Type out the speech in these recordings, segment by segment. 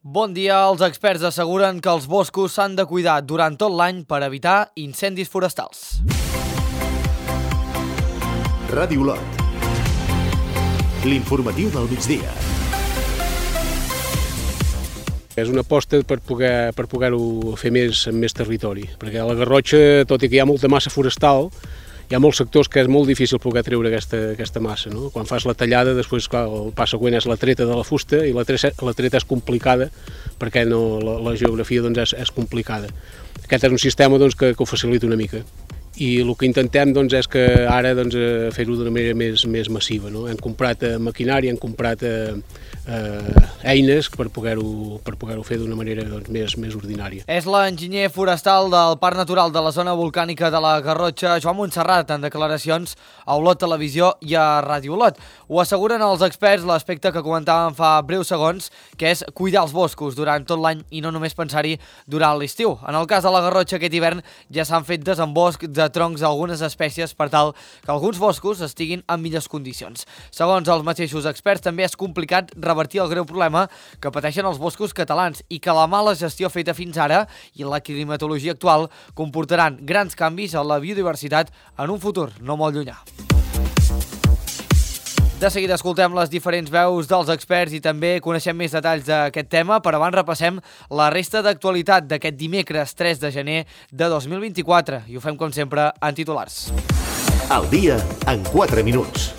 Bon dia. Els experts asseguren que els boscos s'han de cuidar durant tot l'any per evitar incendis forestals. Ràdio Olot. L'informatiu del migdia. És una aposta per poder-ho fer amb més territori, perquè a la Garrotxa, tot i que hi ha molta massa forestal, hi ha molts sectors que és molt difícil poder treure aquesta massa, no? Quan fas la tallada, després clar, el pas següent és la treta de la fusta, i la treta és complicada perquè la geografia doncs, és complicada. Aquest és un sistema doncs, que ho facilita una mica. I el que intentem doncs, és que ara doncs, fer-ho d'una manera més massiva. No? Hem comprat maquinària, hem comprat eines per poder-ho fer d'una manera doncs, més ordinària. És l'enginyer forestal del Parc Natural de la Zona Volcànica de la Garrotxa, Joan Montserrat, en declaracions a Olot Televisió i a Ràdio Olot. Ho asseguren els experts l'aspecte que comentàvem fa breus segons, que és cuidar els boscos durant tot l'any i no només pensar-hi durant l'estiu. En el cas de la Garrotxa, aquest hivern ja s'han fet desemboscs de troncs d'algunes espècies per tal que alguns boscos estiguin en millors condicions. Segons els mateixos experts, també és complicat revertir el greu problema que pateixen els boscos catalans i que la mala gestió feta fins ara i la climatologia actual comportaran grans canvis a la biodiversitat en un futur no molt llunyà. De seguida escoltem les diferents veus dels experts i també coneixem més detalls d'aquest tema, però abans repassem la resta d'actualitat d'aquest dimecres 3 de gener de 2024 i ho fem com sempre en titulars. Al dia en 4 minuts.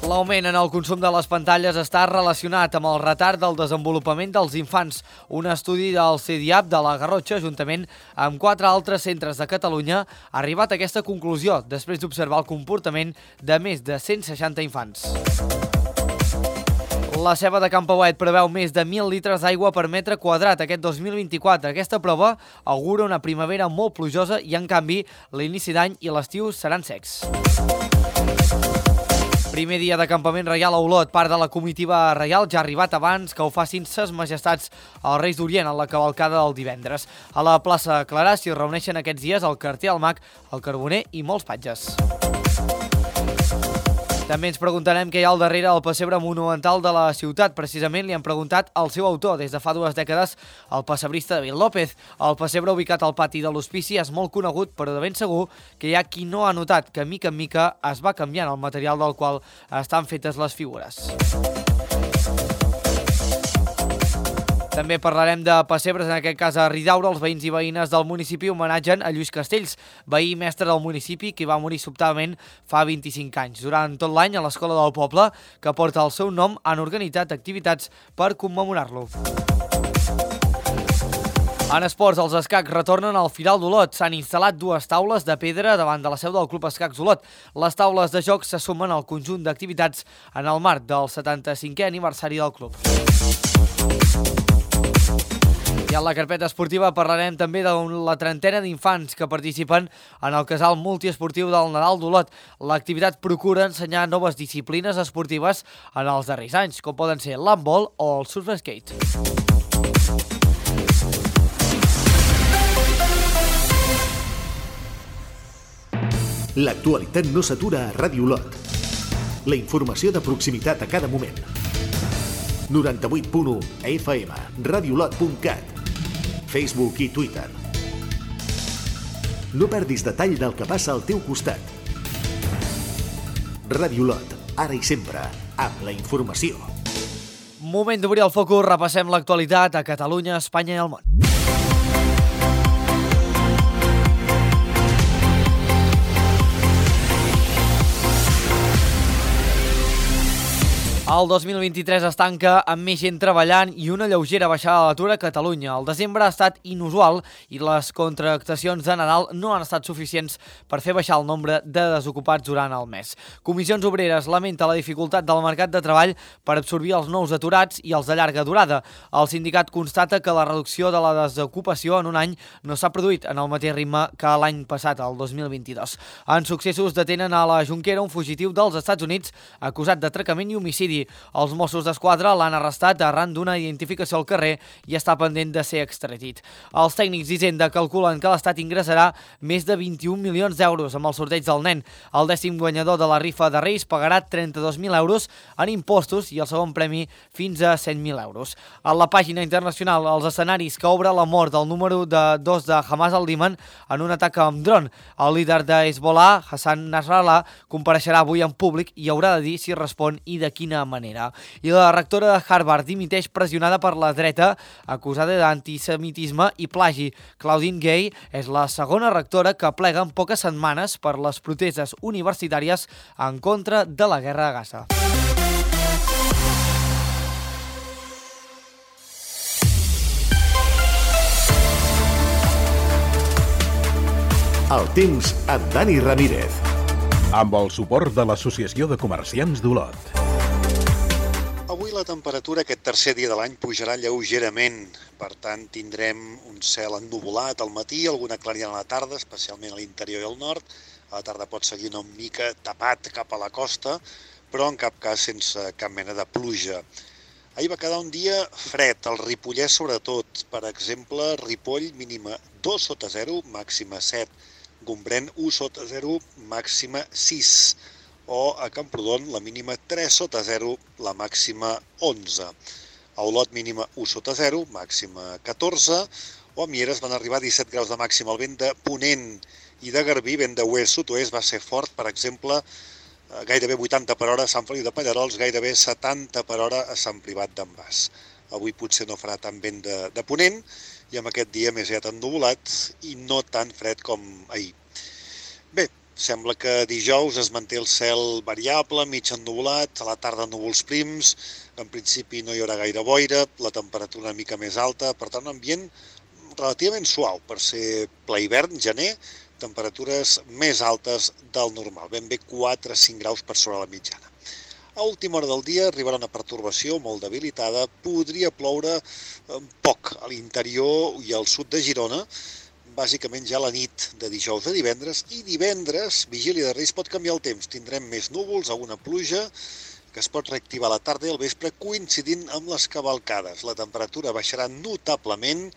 L'augment en el consum de les pantalles està relacionat amb el retard del desenvolupament dels infants. Un estudi del CEDIAP de la Garrotxa, juntament amb 4 altres centres de Catalunya, ha arribat a aquesta conclusió després d'observar el comportament de més de 160 infants. La ceba de Campauet preveu més de 1.000 litres d'aigua per metre quadrat aquest 2024. Aquesta prova augura una primavera molt plujosa i, en canvi, l'inici d'any i l'estiu seran secs. Primer dia de campament reial a Olot. Part de la comitiva reial ja ha arribat abans que ho facin ses majestats els Reis d'Orient en la cavalcada del divendres. A la plaça Clarà s'hi reuneixen aquests dies el carter, el mag, el carboner i molts patges. També ens preguntarem què hi ha al darrere del pessebre monumental de la ciutat. Precisament li han preguntat al seu autor. Des de fa 2 dècades, el pessebrista David López. El pessebre ubicat al pati de l'Hospici és molt conegut, però de ben segur que hi ha qui no ha notat que mica en mica es va canviant el material del qual estan fetes les figures. També parlarem de pessebres, en aquest cas a Ridaura. Els veïns i veïnes del municipi homenatgen a Lluís Castells, veí mestre del municipi que va morir sobtadament fa 25 anys. Durant tot l'any, a l'escola del poble, que porta el seu nom, han organitzat activitats per commemorar-lo. En esports, els escacs retornen al Firal d'Olot. S'han instal·lat 2 taules de pedra davant de la seu del Club Escacs Olot. Les taules de joc se sumen al conjunt d'activitats en el marc del 75è aniversari del club. I en la carpeta esportiva parlarem també de la 30ena d'infants que participen en el casal multiesportiu del Nadal d'Olot. L'activitat procura ensenyar noves disciplines esportives en els darrers anys, com poden ser l'handbol o el surf skate. L'actualitat no s'atura a Ràdio Olot. La informació de proximitat a cada moment. 98.1 FM, radioolot.cat, Facebook i Twitter. No perdis detall del que passa al teu costat. Ràdio Olot, ara i sempre, amb la informació. Moment d'obrir el focus, repassem l'actualitat a Catalunya, Espanya i el món. El 2023 es tanca amb més gent treballant i una lleugera baixada de l'atur a Catalunya. El desembre ha estat inusual i les contractacions de Nadal no han estat suficients per fer baixar el nombre de desocupats durant el mes. Comissions Obreres lamenta la dificultat del mercat de treball per absorbir els nous aturats i els de llarga durada. El sindicat constata que la reducció de la desocupació en un any no s'ha produït en el mateix ritme que l'any passat, el 2022. En successos detenen a la Jonquera un fugitiu dels Estats Units acusat d'atracament i homicidi l'homicidi. Els Mossos d'Esquadra l'han arrestat arran d'una identificació al carrer i està pendent de ser extradit. Els tècnics d'Hisenda calculen que l'Estat ingressarà més de 21 milions d'euros amb el sorteig del nen. El 10è guanyador de la rifa de Reis pagarà 32.000 euros en impostos i el segon premi fins a 100.000 euros. A la pàgina internacional, els escenaris que obre la mort del número 2 de Hamas al-Liman en un atac amb dron. El líder de Hezbollah, Hassan Nasrallah, compareixerà avui en públic i haurà de dir si respon i de quina manera. I la rectora de Harvard dimiteix pressionada per la dreta, acusada d'antisemitisme i plagi. Claudine Gay és la segona rectora que plega en poques setmanes per les protestes universitàries en contra de la guerra a Gaza. El temps amb Dani Ramírez. Amb el suport de l'Associació de Comerciants d'Olot. Avui la temperatura aquest tercer dia de l'any pujarà lleugerament. Per tant, tindrem un cel ennuvolat al matí, alguna clariana a la tarda, especialment a l'interior i al nord. A la tarda pot seguir una mica tapat cap a la costa, però en cap cas sense cap mena de pluja. Ahir va quedar un dia fred, al Ripollès sobretot. Per exemple, Ripoll mínima 2 sota 0, màxima 7. Gombrèn 1 sota 0, màxima 6. O a Camprodon la mínima 3 sota 0, la màxima 11. A Olot mínima 1 sota 0, màxima 14. O a Mieres van arribar a 17 graus de màxima. El vent de ponent i de Garbí, vent de oest-sud-oest, va ser fort, per exemple, gairebé 80 per hora a Sant Feliu de Pallerols, gairebé 70 per hora a Sant Privat d'en Bas. Avui potser no farà tant vent de ponent i amb aquest dia més aviat ennuvolat i no tan fred com ahir. Bé, sembla que dijous es manté el cel variable, mig ennuvolat, a la tarda núvols prims, en principi no hi haurà gaire boira, la temperatura una mica més alta, per tant un ambient relativament suau per ser ple hivern, gener, temperatures més altes del normal, ben bé 4-5 graus per sobre la mitjana. A última hora del dia arribarà una pertorbació molt debilitada, podria ploure poc a l'interior i al sud de Girona, bàsicament ja la nit de dijous a divendres, i divendres, vigília de Reis, pot canviar el temps. Tindrem més núvols, alguna pluja, que es pot reactivar a la tarda i al vespre coincidint amb les cavalcades. La temperatura baixarà notablement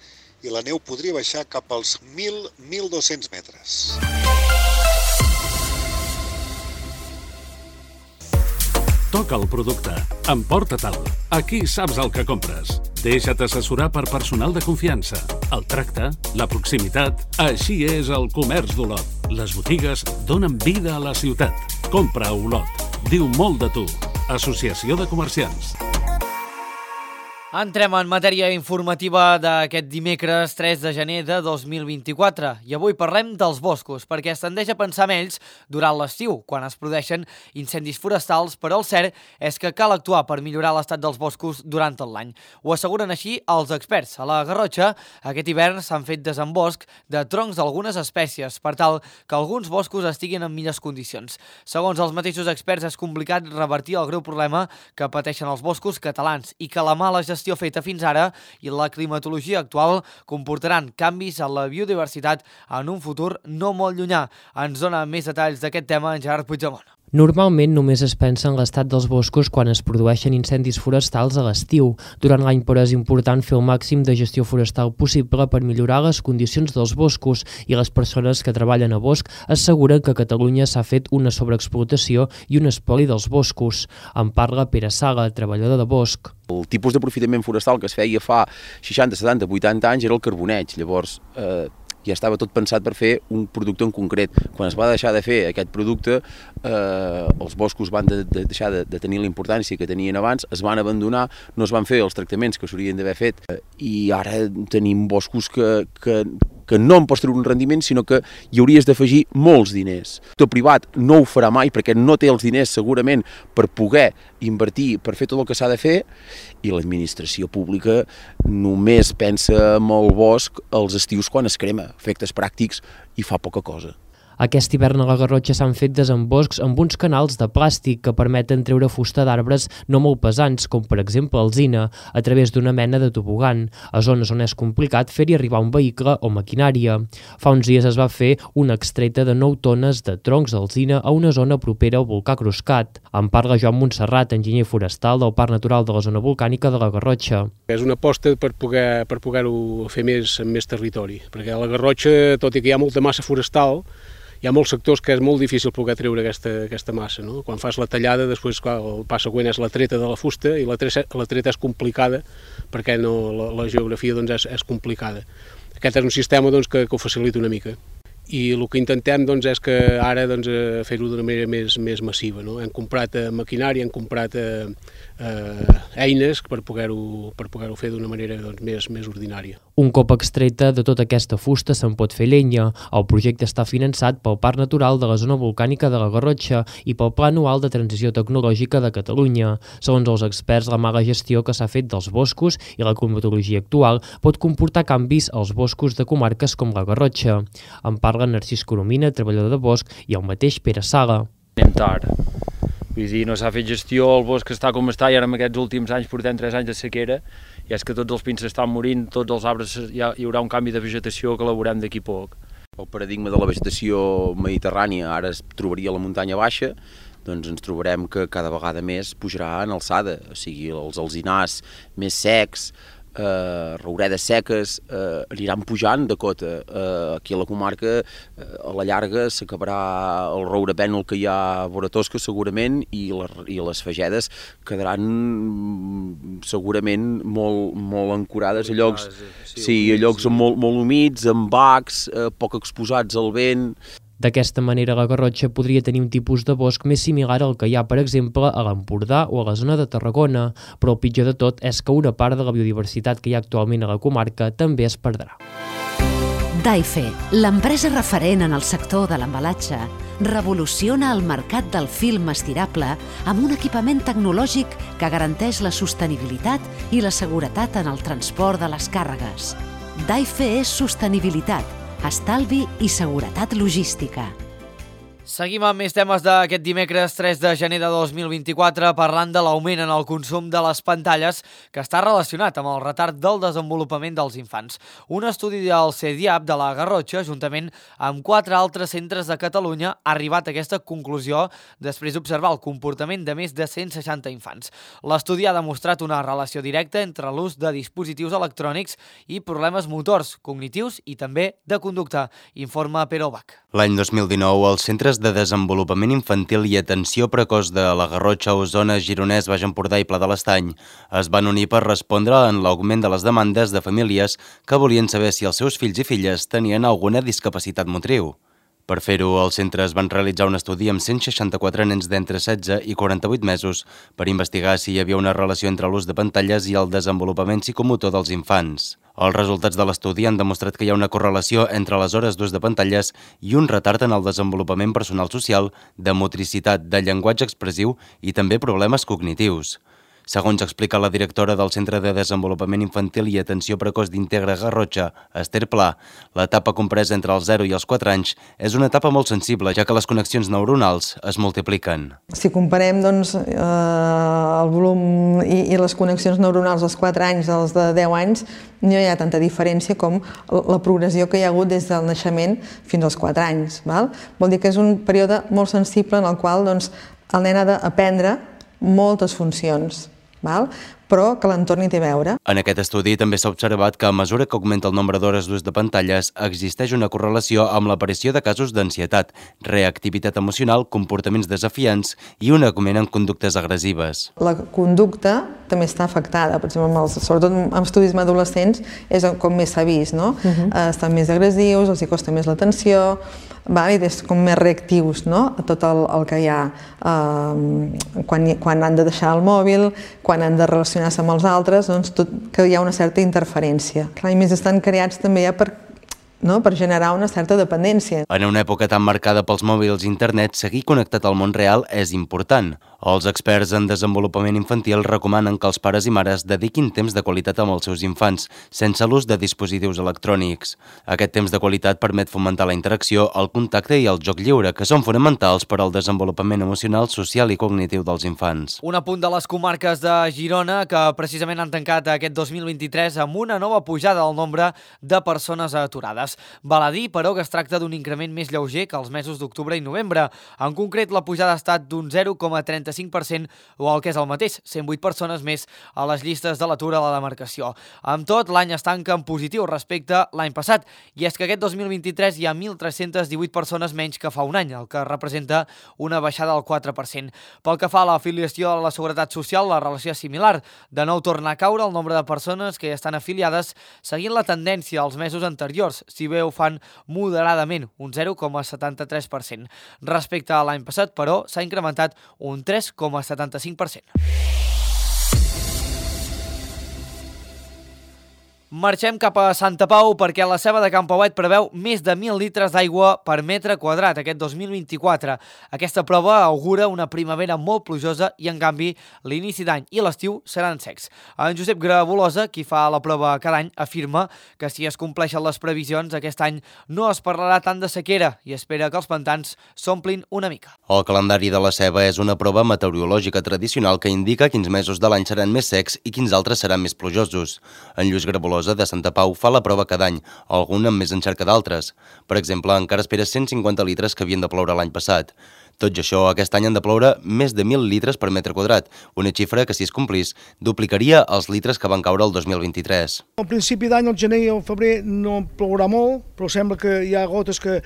i la neu podria baixar cap als 1.000-1.200 metres. Toca el producte. Emporta-te'l. Aquí saps el que compres. Deixa't assessorar per personal de confiança. El tracte, la proximitat... Així és el comerç d'Olot. Les botigues donen vida a la ciutat. Compra a Olot. Diu molt de tu. Associació de Comerciants. Entrem en matèria informativa d'aquest dimecres 3 de gener de 2024 i avui parlem dels boscos perquè es tendeix a pensar en ells durant l'estiu, quan es produeixen incendis forestals, però el cert és que cal actuar per millorar l'estat dels boscos durant tot l'any. Ho asseguren així els experts. A la Garrotxa, aquest hivern s'han fet desembosc de troncs d'algunes espècies per tal que alguns boscos estiguin en millors condicions. Segons els mateixos experts, és complicat revertir el greu problema que pateixen els boscos catalans i que la mala gestió feta fins ara i la climatologia actual comportaran canvis a la biodiversitat en un futur no molt llunyà. Ens dona més detalls d'aquest tema en Gerard Puigdemont. Normalment només es pensa en l'estat dels boscos quan es produeixen incendis forestals a l'estiu. Durant l'any, però, és important fer el màxim de gestió forestal possible per millorar les condicions dels boscos i les persones que treballen a bosc asseguren que a Catalunya s'ha fet una sobreexplotació i un espoli dels boscos. En parla Pere Sala, treballador de bosc. El tipus d'aprofitament forestal que es feia fa 60, 70, 80 anys era el carboneig. Llavors, ja estava tot pensat per fer un producte en concret. Quan es va deixar de fer aquest producte, els boscos van deixar de tenir la importància que tenien abans, es van abandonar, no es van fer els tractaments que s'haurien d'haver fet i ara tenim boscos que no en pots treure un rendiment, sinó que hi hauries d'afegir molts diners. El privat no ho farà mai perquè no té els diners segurament per poder invertir, per fer tot el que s'ha de fer, i l'administració pública només pensa en el bosc els estius quan es crema, efectes pràctics, i fa poca cosa. Aquest hivern a la Garrotxa s'han fet desemboscs amb uns canals de plàstic que permeten treure fusta d'arbres no molt pesants, com per exemple alzina, a través d'una mena de tobogan, a zones on és complicat fer-hi arribar un vehicle o maquinària. Fa uns dies es va fer una extreta de 9 tones de troncs d'alzina a una zona propera al volcà Cruscat. En parla Joan Montserrat, enginyer forestal del Parc Natural de la Zona Volcànica de la Garrotxa. És una aposta per poder-ho fer amb més territori, perquè a la Garrotxa, tot i que hi ha molta massa forestal, hi ha molts sectors que és molt difícil poder treure aquesta massa. No? Quan fas la tallada, després el pas següent és la treta de la fusta, i la treta és complicada perquè la geografia és complicada. Aquest és un sistema que ho facilita una mica. I el que intentem és que ara fer-ho d'una manera més massiva. No? Hem comprat maquinària, hem comprat eines per poder-ho fer d'una manera més ordinària. Un cop extreta de tota aquesta fusta se'n pot fer llenya. El projecte està finançat pel Parc Natural de la Zona Volcànica de la Garrotxa i pel Pla Anual de Transició Tecnològica de Catalunya. Segons els experts, la mala gestió que s'ha fet dels boscos i la climatologia actual pot comportar canvis als boscos de comarques com la Garrotxa. En parla Narcís Coromina, treballador de bosc, i el mateix Pere Sala. Anem tard. Vull dir, no s'ha fet gestió, el bosc està com està i ara en aquests últims anys portem 3 anys de sequera i és que tots els pins s'estan morint, tots els arbres hi haurà un canvi de vegetació que elaborem d'aquí poc. El paradigma de la vegetació mediterrània ara es trobaria a la muntanya baixa, doncs ens trobarem que cada vegada més pujarà en alçada, o sigui, els alzinars més secs, rouredes seques aniran pujant de cota. Aquí a la comarca a la llarga s'acabarà el roure pènol que hi ha a vora Tosca segurament i les fagedes quedaran segurament molt ancorades a llocs, a llocs molt humits, amb bacs, poc exposats al vent. D'aquesta manera, la Garrotxa podria tenir un tipus de bosc més similar al que hi ha, per exemple, a l'Empordà o a la zona de Tarragona, però el pitjor de tot és que una part de la biodiversitat que hi ha actualment a la comarca també es perdrà. Daife, l'empresa referent en el sector de l'embalatge, revoluciona el mercat del film estirable amb un equipament tecnològic que garanteix la sostenibilitat i la seguretat en el transport de les càrregues. Daife és sostenibilitat, estalvi i seguretat logística. Seguim amb més temes d'aquest dimecres 3 de gener de 2024 parlant de l'augment en el consum de les pantalles que està relacionat amb el retard del desenvolupament dels infants. Un estudi del CEDIAP de la Garrotxa, juntament amb 4 altres centres de Catalunya, ha arribat a aquesta conclusió després d'observar el comportament de més de 160 infants. L'estudi ha demostrat una relació directa entre l'ús de dispositius electrònics i problemes motors, cognitius i també de conducta, informa Pere Obach. L'any 2019, els Centres de Desenvolupament Infantil i Atenció Precoç de la Garrotxa, Osona, Gironès, Baix Empordà i Pla de l'Estany es van unir per respondre en l'augment de les demandes de famílies que volien saber si els seus fills i filles tenien alguna discapacitat motriu. Per fer-ho, els centres van realitzar un estudi amb 164 nens d'entre 16 i 48 mesos per investigar si hi havia una relació entre l'ús de pantalles i el desenvolupament psicomotor dels infants. Els resultats de l'estudi han demostrat que hi ha una correlació entre les hores d'ús de pantalles i un retard en el desenvolupament personal social, de motricitat, de llenguatge expressiu i també problemes cognitius. Segons explica la directora del Centre de Desenvolupament Infantil i Atenció Precoç d'Integra Garrotxa, Esther Pla, l'etapa compresa entre els 0 i els 4 anys és una etapa molt sensible, ja que les connexions neuronals es multipliquen. Si comparem el volum i les connexions neuronals als 4 anys dels de 10 anys, no hi ha tanta diferència com la progressió que hi ha hagut des del naixement fins als 4 anys. Vol dir que és un període molt sensible en el qual el nen ha d'aprendre moltes funcions, però que l'entorn hi té a veure. En aquest estudi també s'ha observat que a mesura que augmenta el nombre d'hores d'ús de pantalles, existeix una correlació amb l'aparició de casos d'ansietat, reactivitat emocional, comportaments desafiants i un augment en conductes agressives. La conducta també està afectada, per exemple, sobretot en estudis amb adolescents és com més s'ha vist, estan més agressius, els hi costa més l'atenció, i és com més reactius a tot el que hi ha quan han de deixar el mòbil, quan han de relacionar-se amb els altres, que hi ha una certa interferència. A més, estan creats també per no? Per generar una certa dependència. En una època tan marcada pels mòbils i internet, seguir connectat al món real és important. Els experts en desenvolupament infantil recomanen que els pares i mares dediquin temps de qualitat amb els seus infants, sense l'ús de dispositius electrònics. Aquest temps de qualitat permet fomentar la interacció, el contacte i el joc lliure, que són fonamentals per al desenvolupament emocional, social i cognitiu dels infants. Un apunt de les comarques de Girona que precisament han tancat aquest 2023 amb una nova pujada del nombre de persones aturades. Val a dir, però, que es tracta d'un increment més lleuger que els mesos d'octubre i novembre. En concret, la pujada ha estat d'un 0,35% o el que és el mateix, 108 persones més a les llistes de l'atur a la demarcació. Amb tot, l'any es tanca en positiu respecte a l'any passat, i és que aquest 2023 hi ha 1.318 persones menys que fa un any, el que representa una baixada del 4%. Pel que fa a l'afiliació a la Seguretat Social, la relació és similar. De nou torna a caure el nombre de persones que hi estan afiliades, seguint la tendència als mesos anteriors, si bé ho fan moderadament, un 0,73%. Respecte a l'any passat, però, s'ha incrementat un 3,75%. Marxem cap a Santa Pau perquè la ceba de Can Pauet preveu més de 1.000 litres d'aigua per metre quadrat aquest 2024. Aquesta prova augura una primavera molt plujosa i, en canvi, l'inici d'any i l'estiu seran secs. En Josep Grabolosa, qui fa la prova cada any, afirma que si es compleixen les previsions, aquest any no es parlarà tant de sequera i espera que els pantans s'omplin una mica. El calendari de la ceba és una prova meteorològica tradicional que indica quins mesos de l'any seran més secs i quins altres seran més plujosos. En Lluís Grabolosa de Santa Pau fa la prova cada any, algun amb més encert que d'altres. Per exemple, encara espera 150 litres que havien de ploure l'any passat. Tot i això, aquest any han de ploure més de 1.000 litres per metre quadrat, una xifra que, si es complís, duplicaria els litres que van caure el 2023. Al principi d'any, al gener i al febrer, no plourà molt, però sembla que hi ha gotes que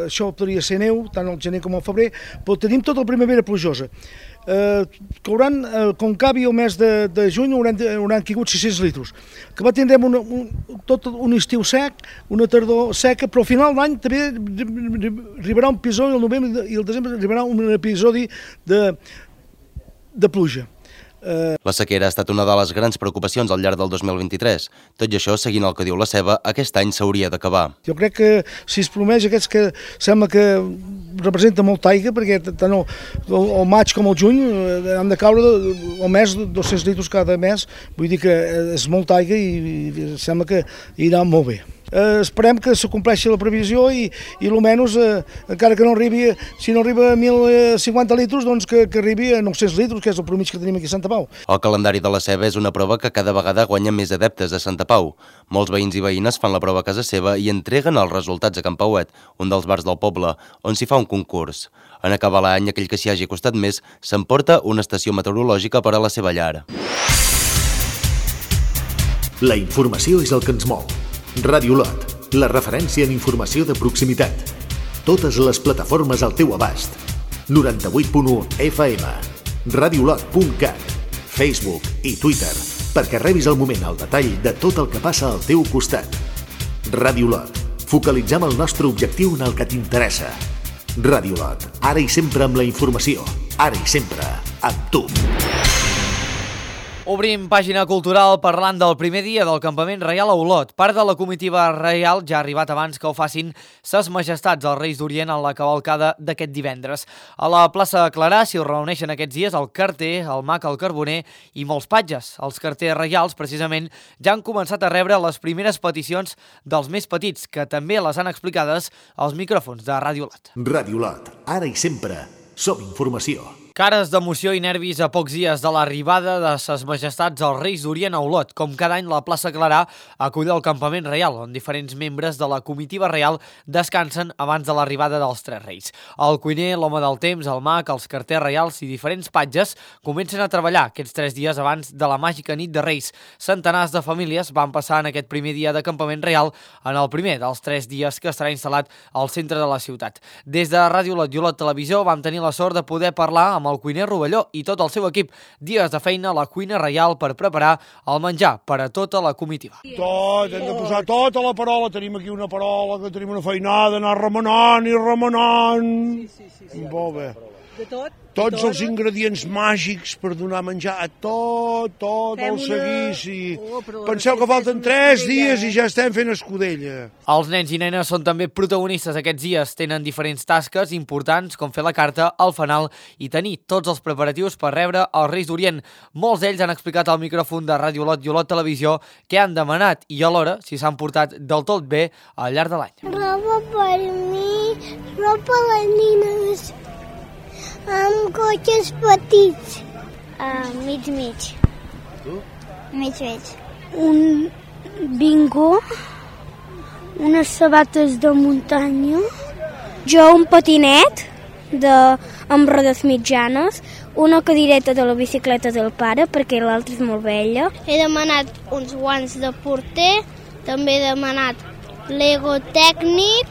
això podria ser neu, tant al gener com al febrer, però tenim tota la primavera plujosa. Com acabi el mes de juny hauran caigut 600 litres, que tindrem tot un estiu sec, una tardor seca, però al final d'any també arribarà un episodi, el novembre i el desembre arribarà un episodi de pluja. La sequera ha estat una de les grans preocupacions al llarg del 2023. Tot i això, seguint el que diu la ceba, aquest any s'hauria d'acabar. Jo crec que si es promeix aquests que sembla que representa molta aigua, perquè tant el maig com el juny han de caure al mes 200 litres cada mes, vull dir que és molta aigua i sembla que irà molt bé. Esperem que se compleixi la previsió i almenys, encara que no arribi, si no arriba a 1.050 litres, doncs que arribi a 900 litres, que és el promig que tenim aquí a Santa Pau. El calendari de la ceba és una prova que cada vegada guanya més adeptes a Santa Pau. Molts veïns i veïnes fan la prova a casa seva i entreguen els resultats a Can Pauet, un dels bars del poble, on s'hi fa un concurs. En acabar l'any, aquell que s'hi hagi costat més s'emporta una estació meteorològica per a la seva llar. La informació és el que ens mou. Ràdio Lot, la referència en informació de proximitat. Totes les plataformes al teu abast. 98.1 FM, radiolot.cat, Facebook i Twitter, perquè rebis al moment el detall de tot el que passa al teu costat. Ràdio Lot, focalitzem el nostre objectiu en el que t'interessa. Ràdio Lot, ara i sempre amb la informació, ara i sempre amb tu. Obrim pàgina cultural parlant del primer dia del campament reial a Olot. Part de la comitiva reial ja ha arribat abans que ho facin ses majestats els Reis d'Orient en la cavalcada d'aquest divendres. A la plaça Clarà s'hi reuneixen aquests dies el carter, el mag, el carboner i molts patges. Els carters reials, precisament, ja han començat a rebre les primeres peticions dels més petits, que també les han explicades als micròfons de Ràdio Lot. Ràdio Lot, ara i sempre, som informació. Cares d'emoció i nervis a pocs dies de l'arribada de ses majestats als Reis d'Orient a Olot. Com cada any, la plaça Clarà acull el campament reial, on diferents membres de la comitiva reial descansen abans de l'arribada dels tres reis. El cuiner, l'home del temps, el mag, els carters reials i diferents patges comencen a treballar aquests 3 dies abans de la màgica nit de Reis. Centenars de famílies van passar en aquest primer dia de campament reial en el primer dels 3 dies que estarà instal·lat al centre de la ciutat. Des de Ràdio Lot i Olot Televisió vam tenir la sort de poder parlar amb el cuiner Rovelló i tot el seu equip. Dies de feina a la cuina reial per preparar el menjar per a tota la comitiva. Tot, hem de posar tota la parola. Tenim aquí una parola, que tenim una feinada, anar remenant i remenant. Sí. Molt bé. Tots els ingredients màgics per donar menjar a tot el seguici. Penseu que falten 3 dies i ja estem fent escudella. Els nens i nenes són també protagonistes aquests dies. Tenen diferents tasques importants, com fer la carta, el fanal i tenir tots els preparatius per rebre els Reis d'Orient. Molts d'ells han explicat al micròfon de Ràdio Olot i Olot Televisió què han demanat i alhora si s'han portat del tot bé al llarg de l'any. Roba per mi, roba a les nines, amb cotxes petits. Mig. Tu? Mig. Un bingo, unes sabates de muntanya, jo un patinet amb rodes mitjanes, una cadireta de la bicicleta del pare perquè l'altra és molt vella. He demanat uns guants de porter, també he demanat Lego tècnic.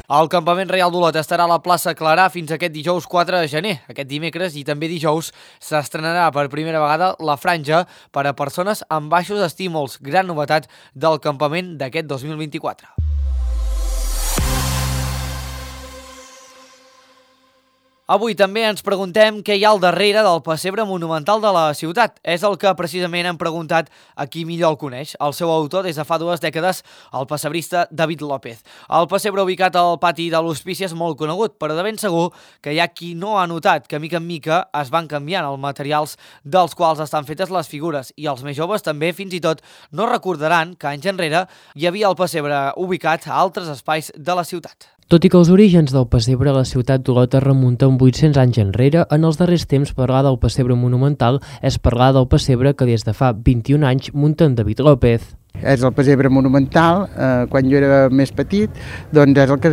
El Campament Reial d'Olot estarà a la plaça Clarà fins aquest dijous 4 de gener. Aquest dimecres i també dijous s'estrenarà per primera vegada la franja per a persones amb baixos estímuls, gran novetat del campament d'aquest 2024. Avui també ens preguntem què hi ha al darrere del pessebre monumental de la ciutat. És el que precisament hem preguntat a qui millor el coneix. El seu autor des de fa 2 dècades, el pessebrista David López. El pessebre ubicat al pati de l'Hospici és molt conegut, però de ben segur que hi ha qui no ha notat que mica en mica es van canviant els materials dels quals estan fetes les figures i els més joves també fins i tot no recordaran que anys enrere hi havia el pessebre ubicat a altres espais de la ciutat. Tot i que els orígens del pessebre a la ciutat d'Olot es remunten 800 anys enrere, en els darrers temps parlar del pessebre monumental és parlar del pessebre que des de fa 21 anys munta en David López. És el pessebre monumental, quan jo era més petit, doncs és el que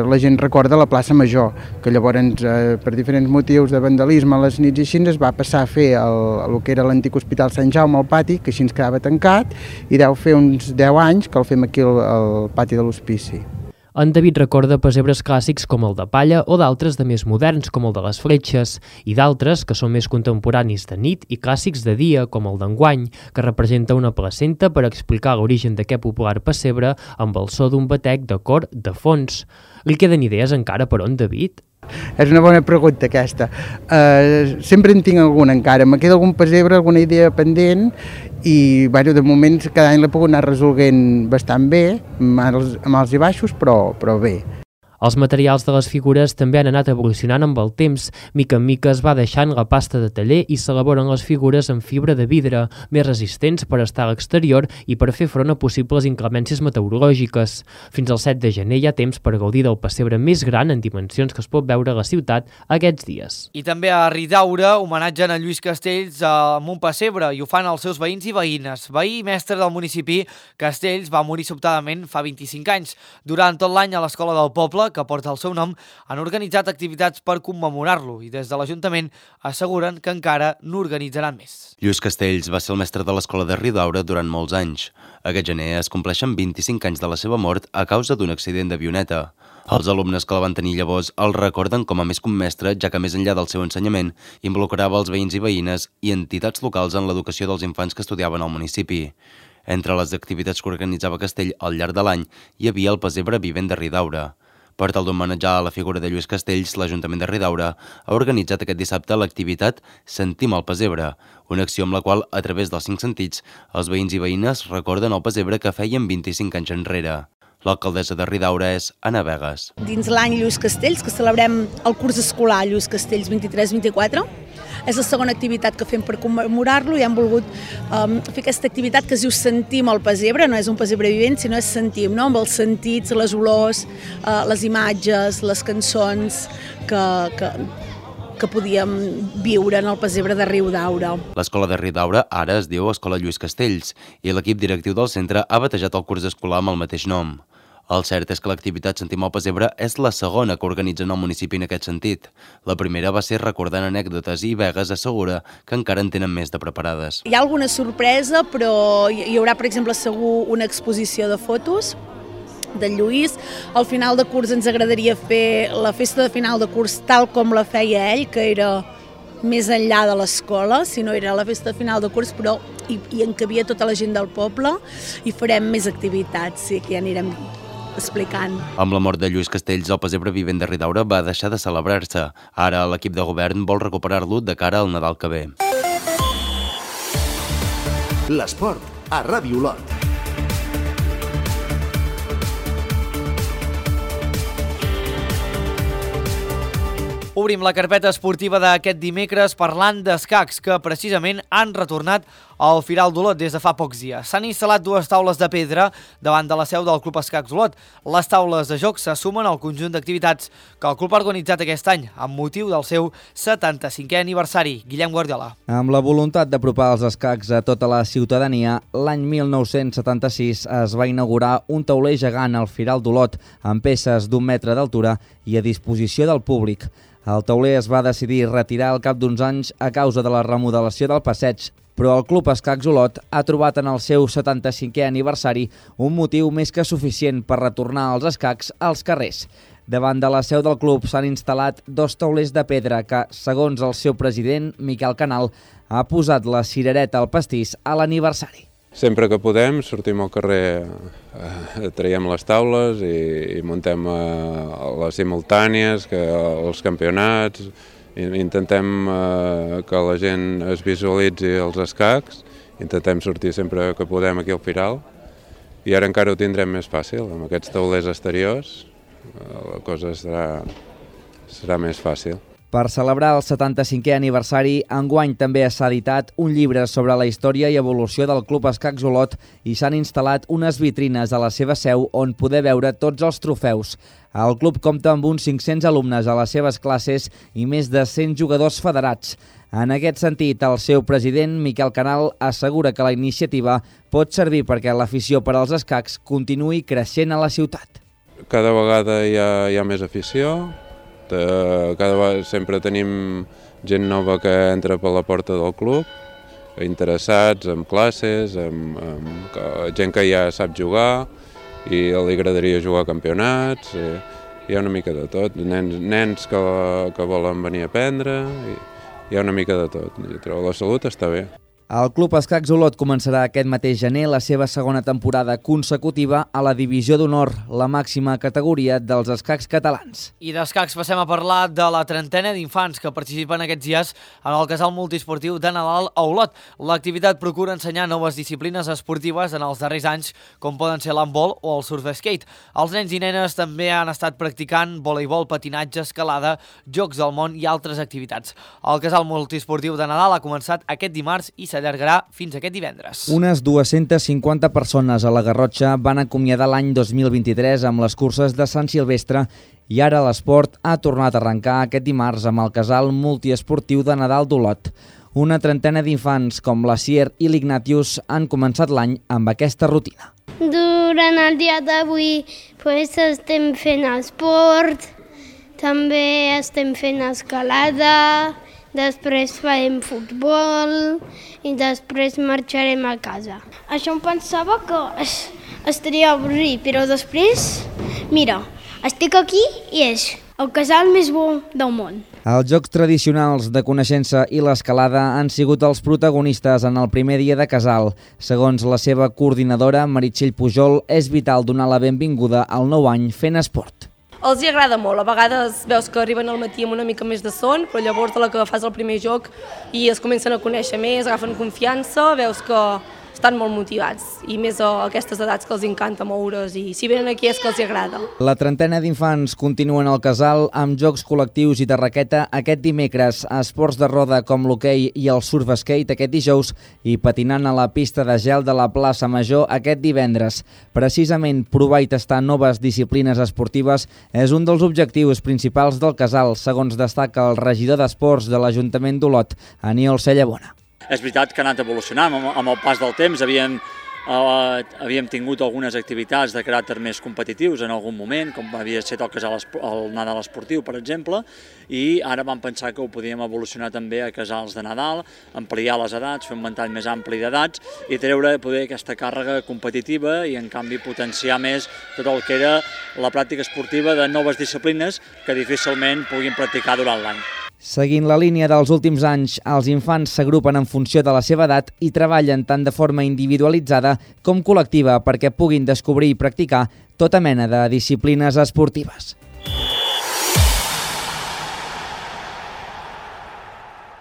la gent recorda a la plaça Major, que llavors per diferents motius de vandalisme a les nits i així es va passar a fer el que era l'antic Hospital Sant Jaume al pati, que així ens quedava tancat, i deu fer uns 10 anys que el fem aquí al pati de l'Hospici. En David recorda pessebres clàssics com el de palla o d'altres de més moderns com el de les fletxes i d'altres que són més contemporanis de nit i clàssics de dia com el d'enguany, que representa una placenta per explicar l'origen d'aquest popular pessebre amb el so d'un batec de cor de fons. Li queden idees encara per on, David? És una bona pregunta aquesta. Sempre en tinc alguna encara. Me queda algun pessebre, alguna idea pendent i de moment cada any l'he pogut anar resolent bastant bé, amb alts i baixos, però bé. Els materials de les figures també han anat evolucionant amb el temps. Mica en mica es va deixant la pasta de taller i s'elaboren les figures en fibra de vidre, més resistents per estar a l'exterior i per fer front a possibles inclemències meteorològiques. Fins al 7 de gener hi ha temps per gaudir del pessebre més gran en dimensions que es pot veure a la ciutat aquests dies. I també a Ridaura homenatgen a Lluís Castells amb un pessebre i ho fan els seus veïns i veïnes. Veí i mestre del municipi, Castells va morir sobtadament fa 25 anys. Durant tot l'any a l'escola del poble, que porta el seu nom, han organitzat activitats per commemorar-lo i des de l'Ajuntament asseguren que encara n'organitzaran més. Lluís Castells va ser el mestre de l'escola de Ridaura durant molts anys. Aquest gener es compleixen 25 anys de la seva mort a causa d'un accident d'avioneta. Els alumnes que la van tenir llavors el recorden com a més que un mestre, ja que més enllà del seu ensenyament involucrava els veïns i veïnes i entitats locals en l'educació dels infants que estudiaven al municipi. Entre les activitats que organitzava Castell al llarg de l'any hi havia el pessebre vivent de Ridaura. Per tal d'homenatjar a la figura de Lluís Castells, l'Ajuntament de Ridaura ha organitzat aquest dissabte l'activitat Sentim el pessebre, una acció amb la qual, a través dels 5 sentits, els veïns i veïnes recorden el pessebre que feien 25 anys enrere. L'alcaldessa de Ridaura és Anna Vegas. Dins l'any Lluís Castells, que celebrem el curs escolar Lluís Castells 23-24, és la segona activitat que fem per commemorar-lo i hem volgut fer aquesta activitat que es diu Sentim el pessebre, no és un pessebre vivent, sinó és sentim, no? Amb els sentits, les olors, les imatges, les cançons que podíem viure en el pessebre de Riudaura. L'escola de Riudaura ara es diu Escola Lluís Castells i l'equip directiu del centre ha batejat el curs escolar amb el mateix nom. El cert és que l'activitat Sentim el pessebre és la segona que organitzen al municipi en aquest sentit. La primera va ser recordant anècdotes i Vegas assegura que encara en tenen més de preparades. Hi ha alguna sorpresa, però hi haurà, per exemple, segur una exposició de fotos de Lluís. Al final de curs ens agradaria fer la festa de final de curs tal com la feia ell, que era més enllà de l'escola, si no era la festa de final de curs, però hi encabia tota la gent del poble i farem més activitats, sí, que ja anirem explicant. Amb la mort de Lluís Castells, el pessebre vivent de Ridaura va deixar de celebrar-se. Ara l'equip de govern vol recuperar-lo de cara al Nadal que ve. L'esport a Ràdio Olot. Obrim la carpeta esportiva d'aquest dimecres parlant d'escacs que precisament han retornat al Firal d'Olot des de fa pocs dies. S'han instal·lat 2 taules de pedra davant de la seu del Club Escacs Olot. Les taules de joc se sumen al conjunt d'activitats que el club ha organitzat aquest any amb motiu del seu 75è aniversari. Guillem Guardiola. Amb la voluntat d'apropar els escacs a tota la ciutadania, l'any 1976 es va inaugurar un tauler gegant al Firal d'Olot amb peces d'1 metre d'altura i a disposició del públic. El tauler es va decidir retirar al cap d'uns anys a causa de la remodelació del passeig, però el Club Escacs Olot ha trobat en el seu 75è aniversari un motiu més que suficient per retornar els escacs als carrers. Davant de la seu del club s'han instal·lat 2 taulers de pedra que, segons el seu president, Miquel Canal, ha posat la cirereta al pastís a l'aniversari. Sempre que podem sortim al carrer, traiem les taules i muntem les simultànies, els campionats, intentem que la gent es visualitzi els escacs, intentem sortir sempre que podem aquí al Firal i ara encara ho tindrem més fàcil, amb aquests taulers exteriors la cosa serà més fàcil. Per celebrar el 75è aniversari, enguany també s'ha editat un llibre sobre la història i evolució del Club Escacs Olot i s'han instal·lat unes vitrines a la seva seu on poder veure tots els trofeus. El club compta amb uns 500 alumnes a les seves classes i més de 100 jugadors federats. En aquest sentit, el seu president, Miquel Canal, assegura que la iniciativa pot servir perquè l'afició per als escacs continuï creixent a la ciutat. Cada vegada hi ha més afició. Cada vegada sempre tenim gent nova que entra per la porta del club, interessats en classes, gent que ja sap jugar i li agradaria jugar a campionats, hi ha una mica de tot, nens que volen venir a aprendre, hi ha una mica de tot, però la salut està bé. El Club Escacs Olot començarà aquest mateix gener la seva segona temporada consecutiva a la Divisió d'Honor, la màxima categoria dels escacs catalans. I d'escacs passem a parlar de la 30ena d'infants que participen aquests dies en el casal multiesportiu de Nadal a Olot. L'activitat procura ensenyar noves disciplines esportives en els darrers anys, com poden ser l'handbol o el surf skate. Els nens i nenes també han estat practicant voleibol, patinatge, escalada, jocs del món i altres activitats. El casal multiesportiu de Nadal ha començat aquest dimarts i s'allargarà fins aquest divendres. Unes 250 persones a la Garrotxa van acomiadar l'any 2023 amb les curses de Sant Silvestre i ara l'esport ha tornat a arrencar aquest dimarts amb el casal multiesportiu de Nadal d'Olot. Una trentena d'infants com la Sier i l'Ignatius han començat l'any amb aquesta rutina. Durant el dia d'avui estem fent esport, també estem fent escalada, després farem futbol i després marxarem a casa. Això em pensava que estaria avorrit, però després, mira, estic aquí i és el casal més bo del món. Els jocs tradicionals de coneixença i l'escalada han sigut els protagonistes en el primer dia de casal. Segons la seva coordinadora, Meritxell Pujol, és vital donar la benvinguda al nou any fent esport. Els hi agrada molt, a vegades veus que arriben al matí amb una mica més de son, però llavors de la que fas el primer joc i es comencen a conèixer més, agafen confiança, veus que estan molt motivats i més a aquestes edats que els encanta moure's i si venen aquí és que els hi agrada. La trentena d'infants continuen al casal amb jocs col·lectius i de raqueta aquest dimecres, esports de roda com l'hoquei i el surf skate aquest dijous i patinant a la pista de gel de la plaça Major aquest divendres. Precisament provar i tastar noves disciplines esportives és un dels objectius principals del casal, segons destaca el regidor d'Esports de l'Ajuntament d'Olot, Aniol Cellabona. És veritat que ha anat evolucionant amb el pas del temps, havíem tingut algunes activitats de caràcter més competitius en algun moment, com havia estat el Nadal esportiu, per exemple, i ara vam pensar que ho podíem evolucionar també a casals de Nadal, ampliar les edats, fer un ventall més ampli d'edats i treure poder aquesta càrrega competitiva i en canvi potenciar més tot el que era la pràctica esportiva de noves disciplines que difícilment puguin practicar durant l'any. Seguint la línia dels últims anys, els infants s'agrupen en funció de la seva edat i treballen tant de forma individualitzada com col·lectiva perquè puguin descobrir i practicar tota mena de disciplines esportives.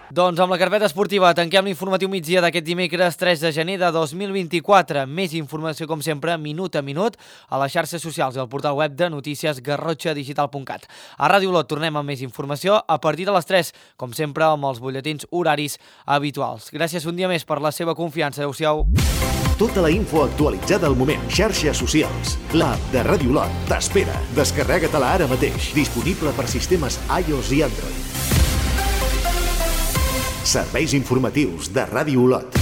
Doncs amb la carpeta esportiva tanquem l'informatiu migdia d'aquest dimecres 3 de gener de 2024. Més informació, com sempre, minut a minut, a les xarxes socials i al portal web de notícies garrotxadigital.cat. A Ràdio Olot tornem amb més informació a partir de les 3, com sempre, amb els butlletins horaris habituals. Gràcies un dia més per la seva confiança. Adéu-siau. Tota la info actualitzada al moment. Xarxes socials. L'app de Ràdio Olot t'espera. Descarrega-te-la ara mateix. Disponible per sistemes iOS i Android. Serveis informatius de Ràdio Olot.